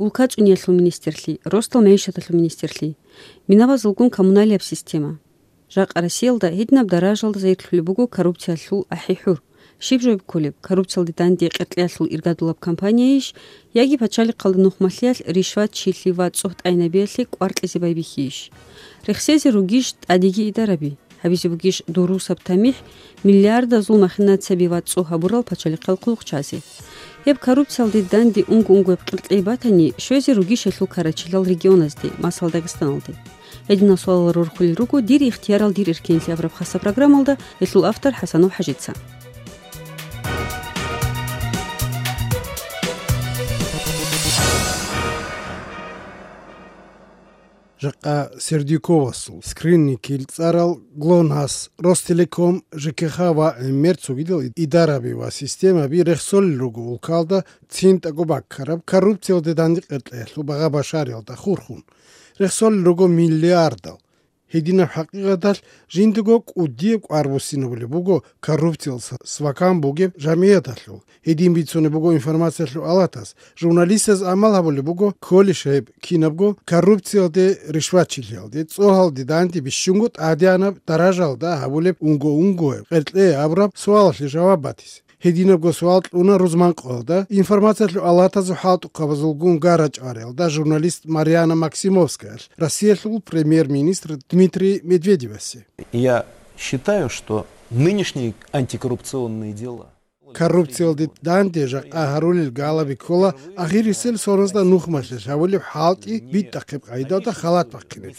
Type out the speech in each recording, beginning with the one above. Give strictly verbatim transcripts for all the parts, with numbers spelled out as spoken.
улка цӀуниялъул министрлъи, росдал мегӀишаталъул министрлъи, минабазулгун коммуналияб система. Жакъа Россиялда гьединаб даражалда зайирлъулеб буго коррупциялъул ахӀи-хӀур. Щиб жо кколеб, коррупциялде данде къеркьеялъул иргадулаб кампанияйищ, яги пачалихъалда нухмалъиялъ, ришват, чилъи ва цӀогьтӀайнабиялъе кӀвар кьезе байбихьейищ? Рехсезе ругищ тӀадеги идараби? Гьабизе бугищ дурусаб тамихӀ миллиардазул махинацияби ва цӀу гьабурал пачалихъал хъулухъчазе? Гьеб коррупциялде данде унго-унгояб къеркьей батани, щвезе ругищ гьелъул карачелал регионазде, масала, Дагъистаналде? Гьединал суалал рорхулел руго «Дир ихтиярал, дир эркенлъи» абураб хасаб программалда, гьелъул автор ХӀасанов ХӀажица. Жакъа Сердюковасул, Скринникил цӀарал ГЛОНАСС, Ростелеком, ЖКХ ва гӀемер цогидал идараби ва системаби рехсолел руго улкалда цин тӀаго баккараб коррупциялде данде къеркьеялъул багъа-башариялда хурхун. Рехсолел руго миллиардал. Гьединаб хӀакъикъаталъ жиндего кӀудияб кӀвар буссинабулеб буго коррупциялъ с-, свакан бугеб жамгӀияталъул. Гьедин бицунеб буго информациялъул алатас. Журналистаз амал гьабулеб буго кколищ гьеб кинабго коррупциялде, ришватчилъиялде, цӀогьалде данде бищунго тӀадегӀанаб даражалда гьабулеб унго-унгояб къеркьей абураб суалалъе жаваб батизе. Гьединабго суал кьуна рузманкъоялда информациялъул алатазул хӀалтӀухъабазулгун гара-чӀвариялда журналист Мариана Максимовскаялъ Россиялъул премьер-министр Дмитрий Медведевасе. Я считаю, что нынешние антикоррупционные дела... Коррупциялде данде жакъа гьарулел галаби ккола ахирисел соназда нухмалъе гьавулеб хӀалтӀи битӀахъеб къайдалда халат бахъинеб.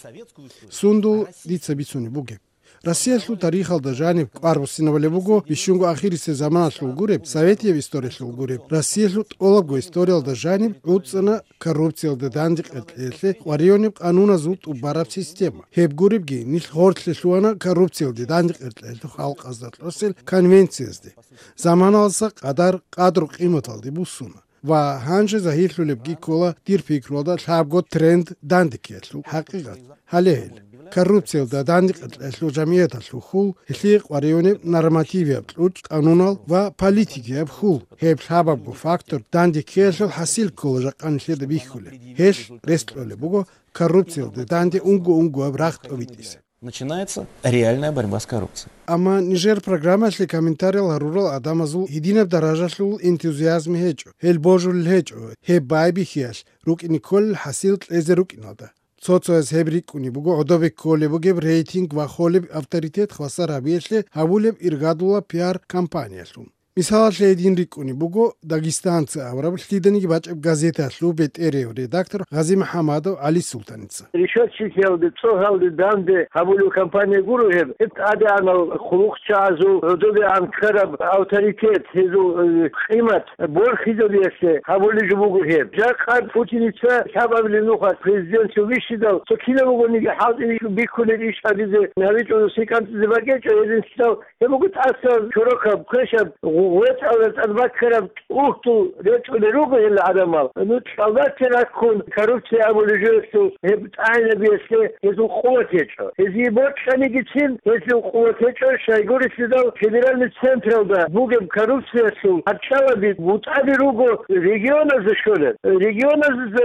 Сундул дица бицунеб бугеб. Россиялъул тарихалда жаниб кӀвар буссинабулеб буго, бищунго ахирисеб заманалъул гуреб, советияб историялъул гуреб, Россиялъул тӀолабго историялда жаниб гӀуцӀана коррупциялде данде къеркьеялъе къваригӀунеб къануназул тӀубараб система. Гьеб гуребги, нилъ гъорлъе лъугьана коррупциялде данде къеркьеялъул халкъазда кьосел конвенциязде. Заманалдаса къадар къадру-къиматалде буссуна. Ва гьанже загьирлъулебги ккола, дир пикруялда, лъабго тренд дандеккеялъул хӀакъикъат. Гьале гьел, коррупциялда данде къеркьеялъул жамгӀияталъул хьул, гьелъие къваригӀунеб нормативияб кьучӀ, къанунал ва политикияб хьул. Гьеб лъабабго фактор дандеккеялъул хӀасил ккола жакъа нилъеда бихьулеб. Гьелъ рес кьолеб буго коррупциялда данде унго-унгояб рагъ тӀобитӀизе. Начинается реальная борьба с коррупцией. Амма нижер программалъе комментариял гьарурал гӀадамазул гьединаб даражалъул энтузиазм гьечӀо, гьел божулел гьечӀо гьеб байбихьиялъ рукӀине кколел хӀасил кьезе рукӀиналда. Цо-цояз гьеб рикӀкӀунеб буго гӀодобе кколеб бугеб рейтинг ва холеб авторитет хвасар гьабиялъе гьабулеб иргадулаб пиар-кампаниялъун. Мисалалъе, гьедин рикӀкӀунеб буго «Дагестанцы» абураб лъиданиги бачӀеб газеталъул бетӀерев редактор Гъази МухӀамадов ГӀалисултаница. Ришватчилъиялде, цӀогьалде данде гьабулев кампания гуро гьеб. Гьеб тӀадегӀанал хъулухъчагӀазул гӀодобегӀан ккараб авторитет, гьезул, э, къимат борхизабиялъе гьабулеб жо буго гьеб. Жакъа Путиница лъабабилеб нуха президентлъун вищидал, цо кинаб бугониги хӀалтӀи бихьулеб иш гьабизе гьабичӀого сикӀанцӀизе бакӀечӀо, гьединлъидал гьеб буго тӀаса чорокаб, квешаб, гъу-, гъветӀалда тӀад баккараб тӀухьдул ретӀулел руго гьел гӀадамал. Ну, цӀалдалъе раккун, коррупция абулеб жоялъул гьеб тӀагӀинабиялъе гьезул къуват гьечӀо. Гьезие бокьанигицин гьезул къуват гьечӀо, щайгурелъидал федеральный централда бугеб коррупциялъул гьарчӀалаби бутӀаби руго регионазда щолеб. Регионазда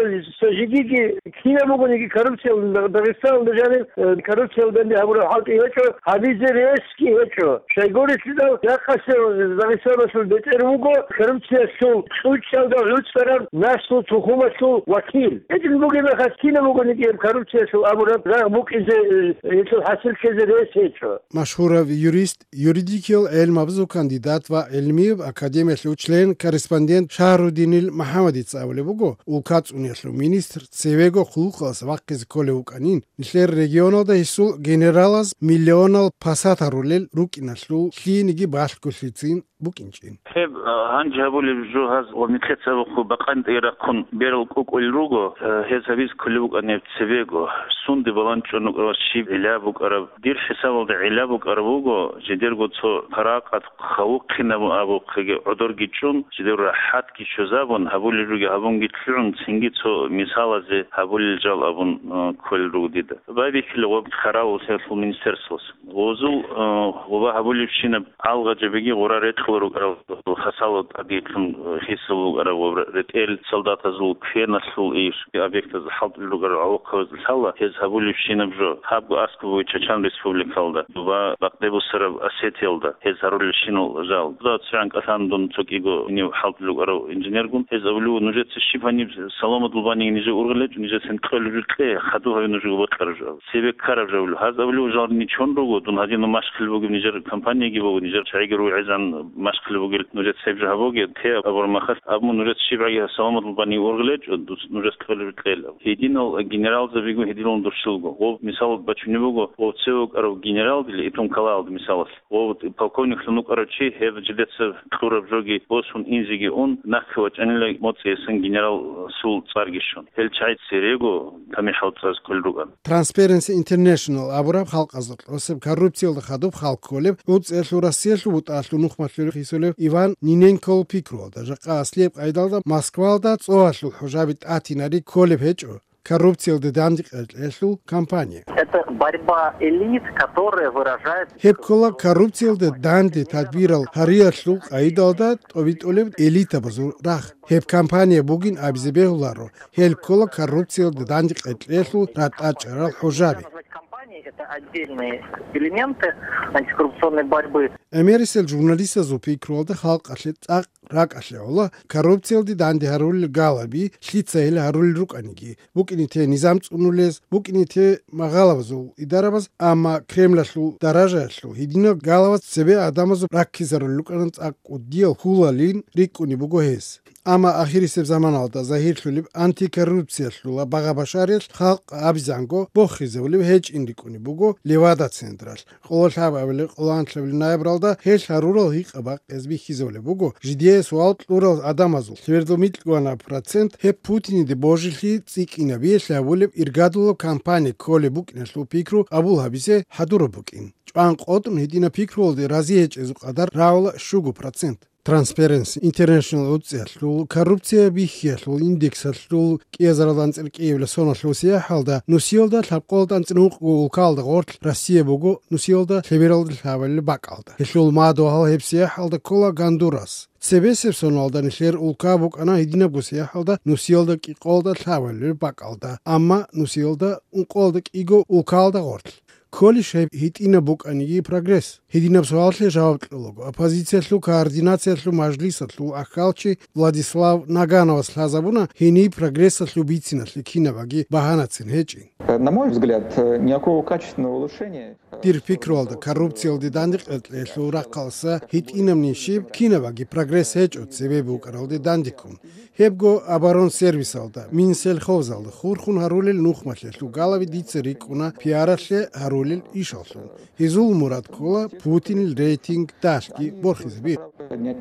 жидеги Кинаб бугониги коррупциялда, Дагъистаналда жаниб, э, коррупциялда данде гьабураб хӀалтӀи гьечӀо, гьабизе ресги гьечӀо. Щайгурелъидал, жакъасеб Дагъистаналъул бетӀер вуго коррупциялъул кьучӀалда гӀуцӀараб наслу тухумалъул вакил. Гьедин бугеб мехалъ кинаб бугониги гьеб коррупциялъул абураб рагъ букӀизе, э, гьелъул хӀасил ккезе рес гьечӀо. Машгьурав юрист, юридикиял гӀелмабазул кандидат ва гӀилмияб академиялъул член-корреспондент Шагьрудинил МухӀамадица абулеб буго, улка цӀуниялъул министр цевего хъулухъалъ вахъизе кколев вукӀанин, нилъер регионалда гьесул генералаз миллионал пасат гьарулел рукӀиналъул лъиениги балъголъицин букӀинчӀин. Гьеб, а, гьанже гьабулеб жо гьаз ва нилъеца абухъе бакъанитӀе рахъун берал кӀукӀулел руго, а, гьез гьабизе кколеб букӀанеб цебего, сунде баланчӀун букӀараб, щиб гӀилла букӀараб, дир хӀисабалда гӀилла букӀараб буго, жидерго цо паракъат хавухъинаб абухъеги гӀодорги чӀун, жидер рахӀатги щвезабун, гьабулел руги гьабунги лъугӀун, цинги цо мисалазе гьабулел жал абун, а, кколел руго дида. Байбихьила ва хъаравул гьелъул министерствоялъ. Гъозул, э, гъоба гьабулебщинаб алгъачӀебиги гъура рекь рукӀарал хасало тӀадедлъун хисаб букӀараб ва ретӀел солдатазул кверналъул иш объектазда хӀалтӀулел рукӀарал гӀолохъабаз лъала гьез гьабулебщинаб жо. Гьабго аскӀоб буго Чачан Республикалда ва бакъдеб бусараб Осетиялда гьез гьарулелщинал жал. Дуда цо гӀанкӀалъан дун цо кӀиго гьенив хӀалтӀулел рукӀарав инженергун. Гьез абулев, нужеца щиб гьаниб саламат лъугьанин нижер ургъел гьечӀо, нижецин кьолеб жо кье, хадуб гьабе нужего бокьараб жо. Цебе ккараб жо абулев. Гьаз абулев, жал ничон руго, дун гьадинав машкил бугеб нижер компаниеги буго, нижер чагӀиги ругӀезан машкил бугел нужеца гьеб жо гьабоге, те абураб мехалъ, абун нужеца щибгӀаги саламат лъугьанин ургъел гьечӀо, дус нужеца кьолеб жо кьела. Гьединал генералзабигун гьединлъун дурщилго. Гъоб мисал бачунеб буго, гъов цеве вукӀарав генералдила итун ккалалда мисалалъ. Гъов полковниклъун вукӀарав чи гьеб жидеца кьураб жоги босун инзеги ун, нахъе вачӀанила моцӀиясан генераласул цӀарги щун. Гьел чагӀи церего тамихӀал цӀараз кколел рукӀана. Transparency International абураб халкъазда тӀосеб коррупциялда хадуб хал кколеб ГӀуцӀиялъул Россиялъул бутӀалъул нухмалъуре хисулев Иван Ниненкол пикруялда, жакъа аслияб къайдалда Москвалда цӀогьалъул хӀужаби тӀатинари кколеб гьечӀо коррупциялда дандекъечӀелъул кампания. Это борьба элит, которая выражает... Гьеб ккола коррупциялда данде тадбирал гьариялъул къайдалда тӀобитӀулеб элитабазул рагъ. Гьеб кампания бугин абизе бегьуларо, гьел ккола коррупциялда дандекъечӀелъул ратӀа чӀарал хӀужаби. Компании — это отдельные элементы антикоррупционной борьбы. Эмерисел журналистазул пикруялда халкъалъе цӀакъ ракӀалъе гӀола коррупциялде данде гьарулел галаби, лъица гьел гьарулел рукӀаниги, букӀине те низам цӀунулез, букӀине те магъалабазул идарабаз, амма Кремлалъул даражаялъул гьединал галаваз цебе гӀадамазул раккизарулел рукӀана цӀакъ кӀудиял хьулалин рикӀкӀунеб буго гьес. Амма ахирисеб заманалда загьирлъулеб антикоррупциялъула багъа-башариялъ халкъ абизанго бохизавулеб гьечӀин рикӀкӀунеб буго Левада-централъ. Къоло лъабабилеб, къоло анлъабилеб ноябралда гьел гьарурал гьикъа-бакъиз бихьизавулеб буго, жидее суал кьурал гӀадамазул лъебералда микьгӀанаб процент гьеб Путиниде божилъи цӀикӀкӀинабиялъе гьабулеб иргадулаб кампания кколеб букӀиналъул пикру абул гьабизе хӀадураб букӀин. ЧӀван къотӀун гьединаб пикруялде рази гьечӀезул къадар рагӀула щуго процент. Transparency International гӀуцӀиялъул коррупция бихьиялъул индексалъул кӀиазаралда анцӀила кӀиабилеб соналъул сияхӀалда нусиялда лъабкъоялда анцӀила ункъго улкалда гъорлъ Россия буго нусиялда лъебералда лъабабилеб бакӀалда. Гьелъул мадугьал гьеб сияхӀалда ккола Гондурас. Цебесеб соналда нилъер улка букӀана гьединабго сияхӀалда нусиялда кӀикъоялда лъабабилеб бакӀалда, амма нусиялда ункъоялда кӀиго улкалда гъорлъ. Кколищ гьеб гьитӀинаб букӀаниги прогресс? Гьединаб суалалъе жаваб кьолаго, оппозициялъул координациялъул мажлисалъул ахьалчи Владислав Нагановас лъазабуна гьениб прогрессалъул бициналъе кинабаги багьанацин гьечӀин. На мой взгляд, никакого качественного улучшения. Дир пикруялда, коррупциялде дандекъечӀелъул рахъалса гьитӀинаб нижиб кинабаги прогресс гьечӀо цебе букӀаралде дандеккун. Гьебго оборонсервисалда, Минсельхозалда хурхун гьарулел нухмалъе лъугьалаби дица рикӀкӀуна пиаралъе гьарулел ишаллъун. Гьезул мурад ккола Путинил рейтинг далъги борхизаби.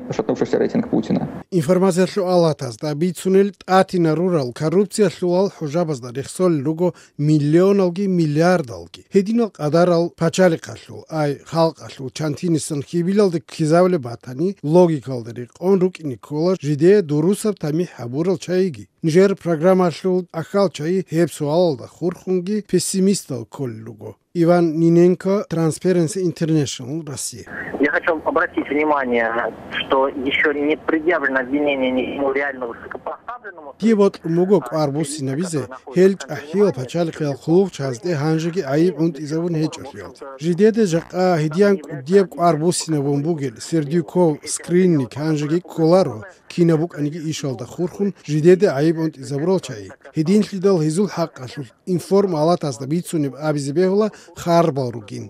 Пошатнувшийся рейтинг Путина. Информациялъул алатазда бицунел тӀатинарурал коррупциялъулал хӀужабазда рехсолел руго миллионалги миллиардалги. Гьединал къадарал пачалихъалъул, ай халкъалъул чантинисан хьибилалде ккезавулеб батани, логикалда рекъон рукӀине ккола жидее дурусаб тамихӀ гьабурал чагӀиги. Нижер программалъул ахьал чагӀи гьеб суалалда хурхунги пессимистал кколел руго. Иван Ниненко, Transparency International, Россия. Я хочу обратить внимание, что еще не предъявлено обвинение ни ему реально высокопоставленному. Дие бокьун буго кӀвар буссинабизе гьел чӀахӀиял пачалихъиял хъулухъчагӀазде гьанжеги гӀайиб гӀунтӀизабун гьечӀолъиялда. Жидеде жакъа гьедиян кӀудияб кӀвар буссинабун бугел Сердюков, Скрынник гьанжеги кколаро, кинаб букӀаниги ишалда хурхун жидеде гӀайиб гӀунтӀизабурал чагӀи. Гьединлъидал гьезул хӀакъалъулъ информалатазда бицунеб абизе бегьула харбал ругин.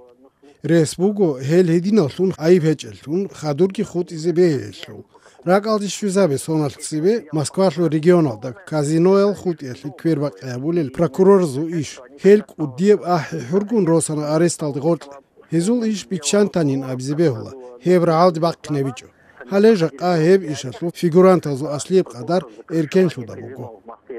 Рес буго гьел гьединаллъун гӀайиб гьечӀеллъун хадурги хутӀизе бегьиялъул. РакӀалде щвезабе соналъ цебе Москвалъул регионалда казиноял хутӀиялъе квербакъи гьабулел прокуроразул иш. Гьел кӀудияб ахӀи-хӀургун росана аресталде гъоркье. Гьезул иш биччан танин абизе бегьула, гьеб рагӀалде бахъинабичӀо. Гьале жакъа гьеб ишалъул фигурантазул аслияб къадар эркенлъуда буго.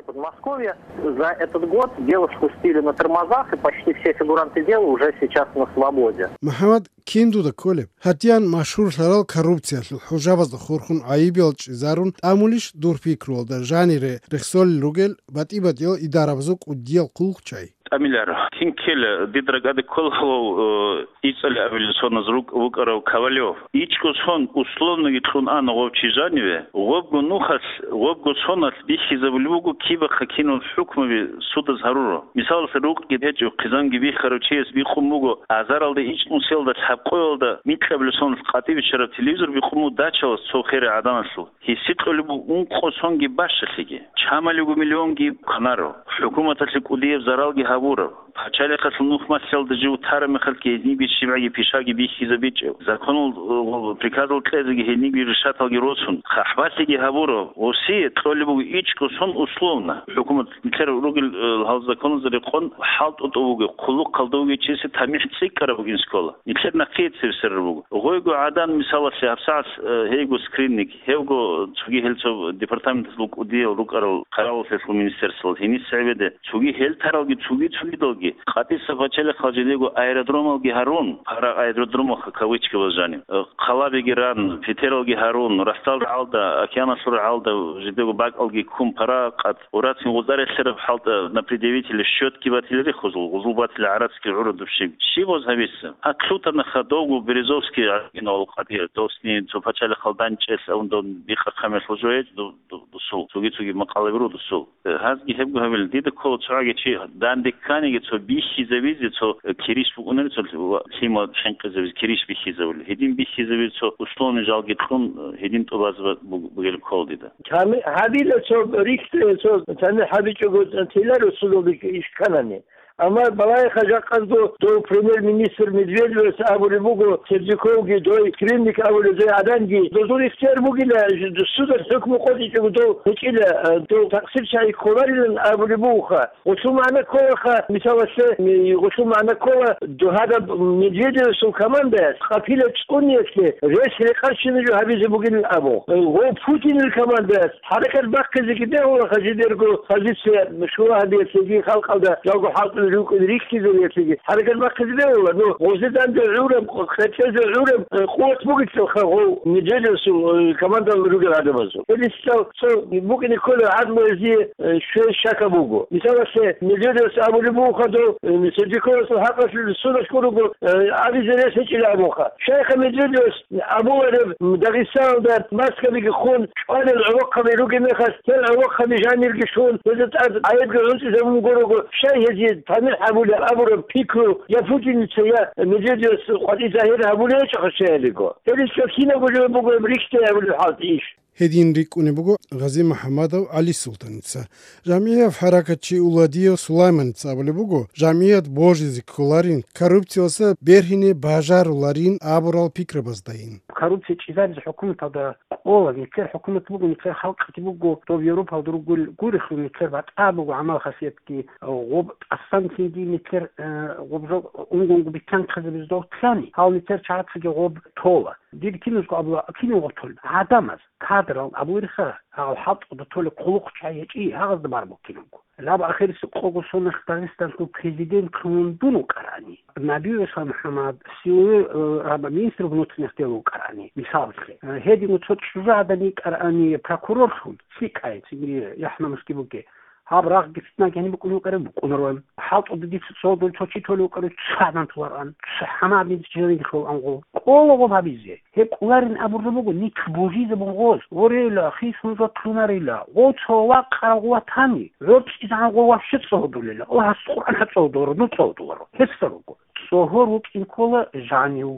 Подмосковье. За этот год девушку спустили на тормозах, и почти все фигуранты дела уже сейчас на свободе. МухӀаммад, кин дуда кколеб? Гьатиян машгьурлъарал коррупциялъул хӀужабазда хурхун гӀайибиял чӀезарун тӀамулищ дур пикруялда жанире рехсолел ругел батӀи-батӀиял идарабазул кӀудиял хъулухъчӀай? ТӀамиларо. Кин ккела, дида ракӀалде ккола гьав, э, ИцӀали абилеб соназ рукӀ-, вукӀарав Ковалев. ИчӀго сон условноги кьун ана гъов чи жаниве, гъобго нухалъ, гъобго соналъ бихьизабулеб буго кибахъа кинал хӀукмуби судаз гьаруро. Мисалалъе, рукъги гьечӀев, хъизанги бихьарав чияс бикъун буго, азаралда ичӀнусиялда лъабкъоялда микьабилеб соналъ къватӀибе биччараб телевизор бикъун буго дачалас цо херай гӀаданалъул. Гьесие кьолеб буго ункъо сонги бащалъиги, чамалиго миллионги кванаро, хӀукуматалъе кӀудияб заралги гьабураб, пачалихъалъул нух малъиялда жив тараб мехалъги гьезниги щибгӀаги пишаги бихьизабичӀев, законал, э, приказал кьезеги гьезниги решаталги росун, хъахӀбалъиги гьабураб, гьесие кьолеб буго ичӀго сон условно. ХӀукумат нилъер ругел, э, гьал законалда рекъон хӀалтӀутӀуб бугеб, хъулухъалда вугев чиясе тамихӀ цӀикӀкӀараб бугин скола. Нилъер нахъе цебесараб буго. Гъойго гӀадан, мисалалъе, гьабсагӀат, э, гьейго скрининг, гьевго цоги гьел цо департаменталъул кӀудиял рукӀарал къаралалъулъ министерствоялъ гьениса гӀебеде, цоги гьел таралги цоги-цогидалги, къватӀиса пачалихъал жидего аэродромалги гьарун, пара аэродромалха кавычкабаз жаниб, э, хъалабиги ран, петералги гьарун, растал рагӀалда, океаналъул рагӀалда жидего бакӀалги ккун пара къат-, урацин гъузда релълъараб хӀалтӀа на предъявителе счётги батила рехузул, гъузул батила гӀарацги гӀурадуб щиб. Щиб гъоз гьабиса? Атлутанаха довго Березовский гӀаргинавал къадир, досни цо пачалихъал данчӀелъ авундав бикъа камерлъул жо гьечӀ ду-, ду-, дусул, цоги-цоги макъалаби ру дусул. Э, гьазги гьебго гьабил, дида ккола цогӀаги чи данде кканиги цо бихьизабизе, цо, э, кириш букӀунери, цо лъи-, ва лъимал хӀинкъизабизе, кириш бихьизабули. Гьедин бихьизабизе цо условный жалги кьун, э, гьедин тӀубазаб буг-, бугел ккола дида. Тами-, гьабила цо рихьде-, цо тамихӀ гьабичӀого тиларо судалде иш кканани. Амма балагьеха жакъазго дов премьер-министр Медведевас абулеб буго, Сердюковги, дой Скринник абулеб дой гӀаданги, дозул ихтияр бугила, ж-, судалъ хӀукму къотӀичӀого дов гьечӀила, э, дов такъсир чагӀи кколарилан абулеб бугоха. Гъулъул магӀна кколаха, мисалалъе, ми-, гъулъул магӀна ккола, дов гьадаб Медведевасул командаяс къапила цӀуниялъе рес рекъарщинаб жо гьабизе бугилан абун. Гъов Путинил командаяс хӀаракат бахъизеги бегьулаха жидерго позиция щула гьабиялъеги, халкъалда жалго хӀалтӀулел рукӀин рихьизабиялъеги хӀаракат бахъизе бегьула. Ну, гъозе данде гӀураб, къечӀезе гӀураб, э, къуват бугелъулха гъов Медведевасул, э, командалда ругел гӀадамазул. Гьединлъидал цо букӀине кколеб гӀадлу гьезие, э, щвей щака буго. Мисалалъе, Медведевас абулеб буго хадув, э, Сердюковасул хӀакъалъулъ судалъ гурого, э, абизе рес гьечӀила абунха. Щайха Медведевас абулареб, Дагъистаналда маскабиги хун, чӀвалел гӀолохъаби ругеб мехалъ, гьел гӀолохъаби жанирги щун, гьезда тӀад гӀайибги гӀунтӀизабун гурого, щай гьезие тамихӀ гьабулеб абураб пикру я Путиница, я Медведевас къватӀи загьир гьабулеб гьечӀоха щай гьелиго? ГьеличӀо кинабго жо буго гьеб рихьде гьабулеб хӀалтӀи иш. Гьедин рикӀкӀунеб буго Гъази МухӀаммадов ГӀалисултаница. ЖамгӀияб хӀаракатчи Уладиев Сулайманица абулеб буго, жамгӀият божизе кколарин, коррупциялдаса бергьине бажаруларин абурал пикрабаздайин. Коррупция чӀезабизе хӀукуматалда кӀола, нилъер хӀукумат буго, нилъер халкъги буго, доб Европалда ругел гурелъул нилъер батӀа буго гӀамал-хасиятги, гъоб тӀасан цинги нилъер, э, гъоб жо унгунго битӀанхъизабизе дов лъани, гьал нилъер чагӀацаги гъоб тола. Дир киназго абула, кинав гъотол? ГӀадамаз, кадрал абулериха, гьал хӀалтӀуда толеб хъулухъчагӀи гьечӀи, гьагъазда бараб кинабго. Лаб ахирисеб къого соналъ Дагъистанлъул президентлъун дун вукӀарани, Набиев Ислам МухӀаммад, силовой, э, раба-, министр внутренних дел вукӀарани, мисалалъе. Э, гьедин цо чӀужугӀадан йикӀарани прокурорлъун, лъикӀай, цинги яхӀ-намусги бугей. Гьаб рагъги фитнаги гьаниб букӀунев вукӀарав букӀунаран. ХӀалтӀуда дица цо дол цо чи толев вукӀарав цо гӀадан толаран, цо хӀамадин жинариги лъолан гъо. Ккола гъоб гьабизе. Гьеб кӀоларин абураб буго, нилъ божизабун гъоз. Ворейла, хисун жотлъунарила. Гъо цо вакъарав гъо ватани. ГӀорцӀизегӀан гъо вообще цӀодулела. О, гьас Къуръан гьа цӀодуларо, ну цӀодуларо. Гьесда руго. ЦӀогьор вукӀин ккола жанив,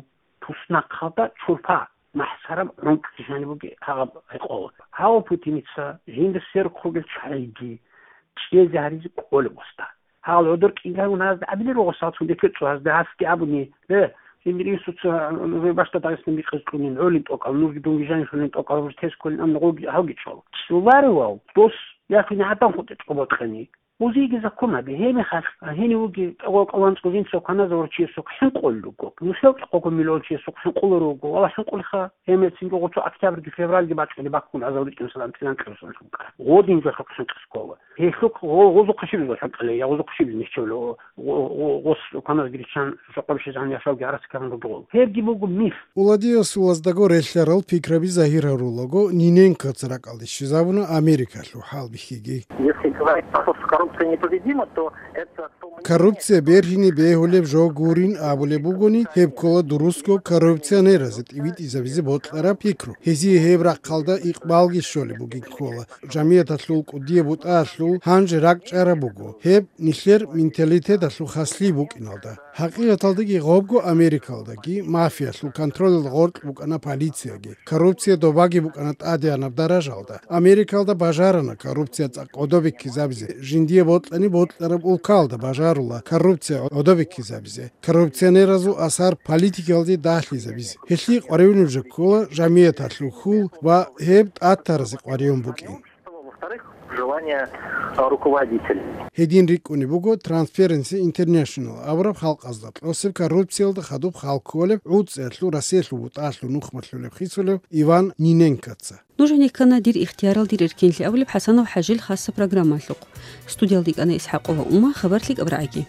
туснахъалда чурпа. МахӀсараб гӀунтӀ жаниб бугеб гьаб гӀекъолеб. Гьав Путиница, жинда сверухъ ругел чагӀиги чӀезе гьаризе кӀолеб гъосда. Гьал гӀодор кӀинкӀан гьазда абилел руго сал цун декӀер цӀу гьазда гьасги абуни, э, жиндир инсуца нужер бащда Дагъистан бикъизе кьунин, гӀолин тӀокӀал, нужги дунги жаниб лъунин тӀокӀал, нуж тез кколин, амма гъоги гьавги чӀвал. ЦӀуларивал дос яхъин гӀадан хутӀе чӀобокьани. Узиги закон гьаби, гьеб мехалъ гьенив вуги тӀокӀал-тӀокӀал ванцӀго жинца кваназавурав чиясухъ хӀинкъулел руго, нилъер тӀокӀаб миллион чиясухъ хӀинкъулел руго, валлагь, хӀинкъулеха гьеб мецинго гъоцо октябрьги февральги бачӀунеб баккун азал ричӀун салам тилан кьурсан хӀинкъа. Гъодин жо хӀинкъи хӀинкъи ккола. Гьелъухъ гъо-, гъозухъа щиб жо хӀинкъи лъе, я гъозухъа щиб нижчевлъи, гъо-, гъо-, гъос кваназги риччан жакъубищезан яшавги гӀарац ккарун ругел. Гьебги буго миф. Уладиясулаздаго релълъарал пикраби загьир гьарулаго, Ниненкоца ракӀалде щвезабуна Америкалъул хӀалбихьиги. Если говорить про то, что коррупция непобедима, то это то мнение, Коррупция бергьине бегьулеб жо гурин абулеб бугони, гьеб ккола дурусго коррупционеразе тӀибитӀизабизе бокьараб пикру. Гьезие гьеб рахъалда икъбалги щолеб бугин ккола. Жамияталъул кӀудияб бутӀаялъул гьанже ракӀчӀараб буго гьеб нилъер менталитеталъул хаслъи букӀиналда. ХӀакъикъаталдаги гъобго Америкалдаги мафиялъул контролалда гъоркь букӀана полицияги. Коррупция добаги букӀана тӀадегӀанаб даражалда. Америкалда бажарана коррупция цӀакъ гӀодобиккизабизе, жиндие бокьани бокьараб улкалда бажарула коррупция гӀодобиккизабизе, коррупционеразул асар политикалде дагьлъизабизе. Гьелъие къваригӀунеб жо ккола жамияталъул хьул ва гьеб тӀатаразе къваригӀун букӀин. Во-вторых, желание, а, руководителей. Гьедин рикӀкӀунеб буго Transparency International абураб халкъазда кьосеб коррупциялда хадуб хал кколеб ГӀуцӀиялъул Россиялъул бутӀаялъул нухмалъулеб хисулев Иван Ниненкоца. Нуж гьенеккана «Дир ихтиярал, дир эркенлъи» абулеб ХӀасанов ХӀажил хасаб программалъухъ. Студиялда йикӀана ИсхӀакъова Ума, хабар лъикӀаб рагӀаги.